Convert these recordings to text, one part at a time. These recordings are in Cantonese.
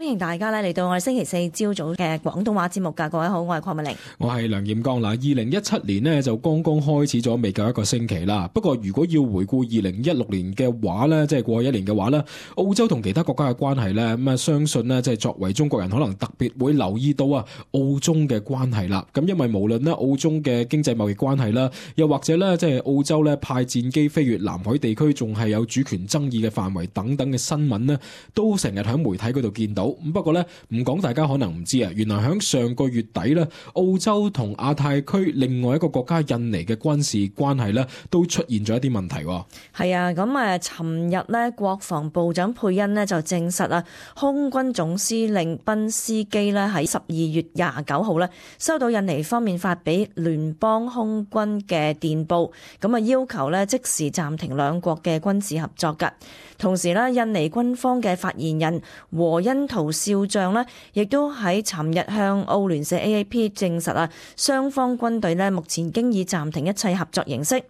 歡迎大家咧嚟到我哋星期四朝早嘅廣東話節目㗎。各位好，我係鄺美玲，我係梁艷剛。2017年呢就剛剛開始咗，未夠一個星期啦。不過如果要回顧2016年嘅話呢，即係過去一年嘅話呢，澳洲同其他國家嘅關係呢，咁相信呢，即係作為中國人可能特別會留意到澳中嘅關係啦。咁因為無論呢澳中嘅經濟貿易關係啦，又或者呢即係澳洲呢派戰機飛越南海地區，仲係有主權爭議嘅範圍等等嘅新聞呢，都成日喺媒體嗰度見到。咁不過咧，唔講大家可能唔知原來喺上個月底咧，澳洲同亞太區另外一個國家印尼嘅軍事關係咧，都出現咗一啲問題。係啊，咁尋日咧，國防部長佩恩呢就證實空軍總司令賓斯基咧喺12月29號咧收到印尼方面發俾聯邦空軍嘅電報，咁要求咧即時暫停兩國嘅軍事合作㗎。同時咧，印尼軍方嘅發言人和恩圖少將呢亦都喺尋日向澳聯社 AAP 證實雙方軍隊呢目前經已暫停一切合作形式。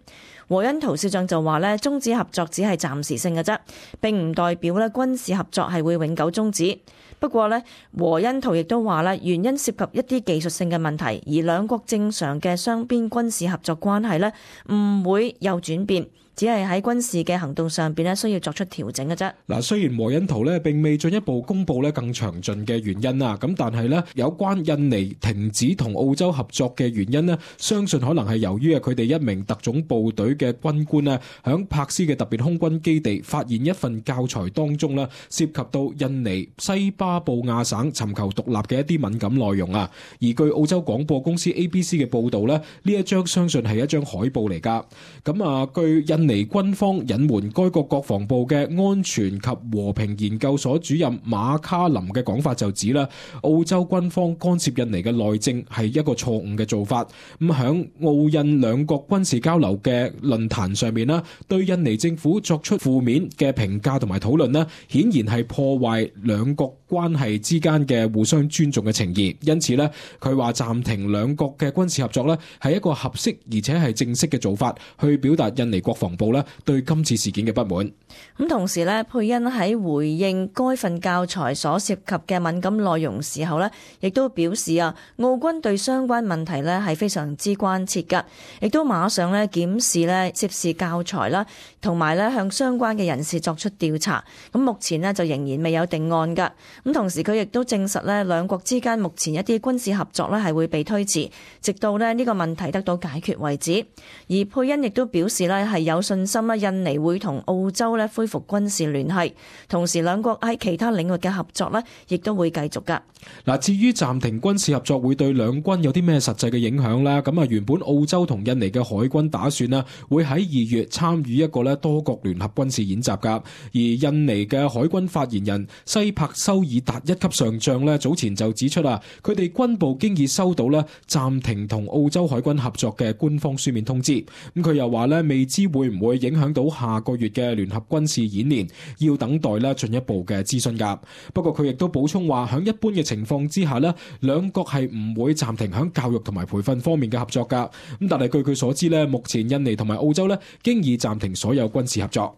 和恩圖少將就話呢終止合作只係暫時性嘅啫，並唔代表呢軍事合作係會永久終止。不過呢，和恩圖亦都話呢原因涉及一啲技術性嘅問題，而兩國正常嘅雙邊軍事合作關係呢唔會有轉變。只係喺軍事嘅行動上邊咧，需要作出調整嘅啫。嗱，雖然和恩圖咧並未進一步公布咧更詳盡嘅原因啦，咁但係咧有關印尼停止同澳洲合作嘅原因咧，相信可能係由於佢哋一名特種部隊嘅軍官咧，響柏斯嘅特別空軍基地發現一份教材當中咧，涉及到印尼西巴布亞省尋求獨立嘅一啲敏感內容啊。而據澳洲廣播公司 ABC 嘅報導咧，呢一張相信係一張海報嚟㗎。咁據印尼軍方隱瞞該國國防部嘅安全及和平研究所主任馬卡林嘅講法就指啦，澳洲軍方干涉印尼嘅內政係一個錯誤嘅做法。咁響澳印兩國軍事交流嘅論壇上面啦，對印尼政府作出負面嘅評價同埋討論啦，顯然係破壞兩國關係之間嘅互相尊重嘅情誼。因此咧，佢話暫停兩國嘅軍事合作咧係一個合適而且係正式嘅做法，去表達印尼國防部對今次事件嘅不滿。咁同時咧，佩恩喺回應該份教材所涉及嘅敏感內容時候咧，亦都表示澳軍對相關問題咧係非常之關切噶，亦都馬上咧檢視咧涉事教材啦，同埋咧向相關嘅人士作出調查。咁目前咧就仍然未有定案噶。咁同時佢亦都證實咧兩國之間目前一啲軍事合作咧係會被推遲，直到咧呢個問題得到解決為止。而佩恩亦都表示咧係有信心印尼會同澳洲咧恢復軍事聯繫，同時兩國喺其他領域嘅合作咧亦都會繼續噶。嗱，至於暫停軍事合作會對兩軍有啲咩實際嘅影響呢？咁原本澳洲同印尼嘅海軍打算會喺2月參與一個多國聯合軍事演習噶。而印尼嘅海軍發言人西柏修爾達一級上將早前就指出佢哋軍部經已收到暫停同澳洲海軍合作嘅官方書面通知。咁佢又話未知會唔會影響到下個月嘅聯合軍事演練，要等待進一步嘅諮詢噶。不過佢亦都補充話，響一般嘅情況之下兩國係唔會暫停響教育同埋培訓方面嘅合作噶。咁但係據佢所知目前印尼同埋澳洲經已暫停所有軍事合作。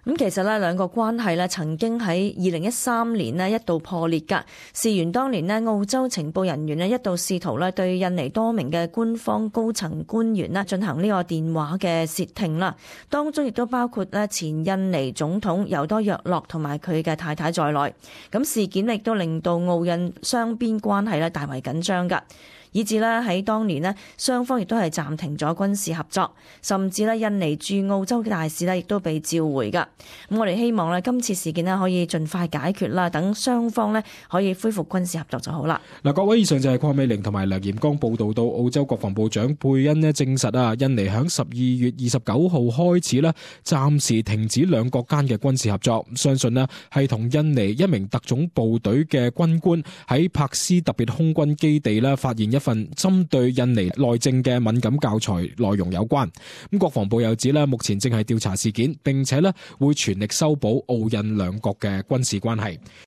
咁其實兩個關係曾經喺2013年一度破裂㗎。事緣當年澳洲情報人員一度試圖對印尼多名嘅官方高層官員進行呢個電話嘅竊聽啦，當中亦都包括前印尼總統尤多約洛同埋佢嘅太太在內。咁事件亦都令到澳印雙邊關係大為緊張㗎。以至喺當年雙方亦都係暫停咗軍事合作，甚至印尼駐澳洲嘅大使亦都被召回㗎。咁我哋希望今次事件可以盡快解決啦，等雙方可以恢復軍事合作就好啦。嗱，各位，以上就係鄺美玲同埋梁艷剛報道到澳洲國防部長佩恩證實印尼響12月29號開始暫時停止兩國間嘅軍事合作，相信係同印尼一名特種部隊嘅軍官喺柏斯特別空軍基地發現一份針對印尼內政嘅敏感教材內容有關。咁國防部又指目前正係調查事件，並且會全力修補澳印兩國嘅軍事關係。